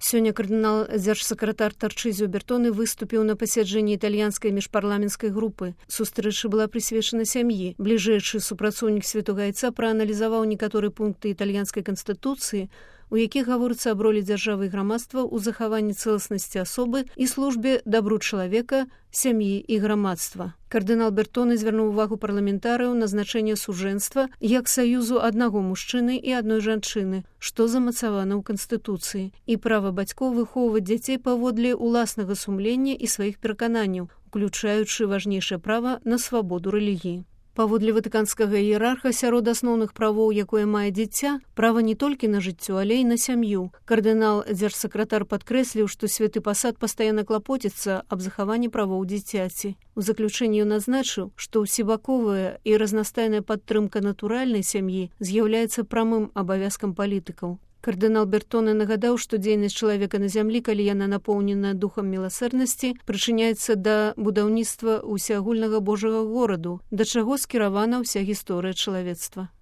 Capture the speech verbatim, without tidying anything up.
Сёння кардынал-дзяржсакратар Тарчызіо Бертоне выступіў на пасяджэнні італьянскай міжпарламенцкай групы. Сустрэча была прысвечана сям'і. Бліжэйшы супрацоўнік Святога Айца прааналізаваў некаторыя пункты італьянскай канстытуцыі, у якіх гаворыцца аб ролі дзяржавы і грамадства ў захаванні цэласнасці асобы і службе дабру чалавека, сям'і і грамадства. Кардынал Бертоне звярнуў увагу парламентарыяў на значэнне сужэнства як саюзу аднаго мужчыны і адной жанчыны, што замацавана ў Канстытуцыі, і права бацькоў выхоўваць дзяцей паводле ўласнага сумлення і сваіх перакананняў, уключаючы важнейшае права на свабоду рэлігіі. Паводле ватыканскага іерарха сярод асноўных правоў, якое мае дзіця, права не толькі на жыццё, але і на сям'ю. Кардынал-дзяржсакратар падкрэсліў, што святы пасад пастаянна клапоціцца аб захаванні правоў дзіцяці. У заключэнні ён адзначыў, што ўсебаковая і разнастайная падтрымка натуральнай сям'і з'яўляецца прамым абавязкам палітыкаў. Кардынал Бертоне нагадаў, што дзейнасць чалавека на зямлі, калі яна напоўнена духам міласэрнасці, прычыняецца да будаўніцтва ўсеагульнага Божага гораду, да чаго скіравана ўся гісторыя чалавецтва.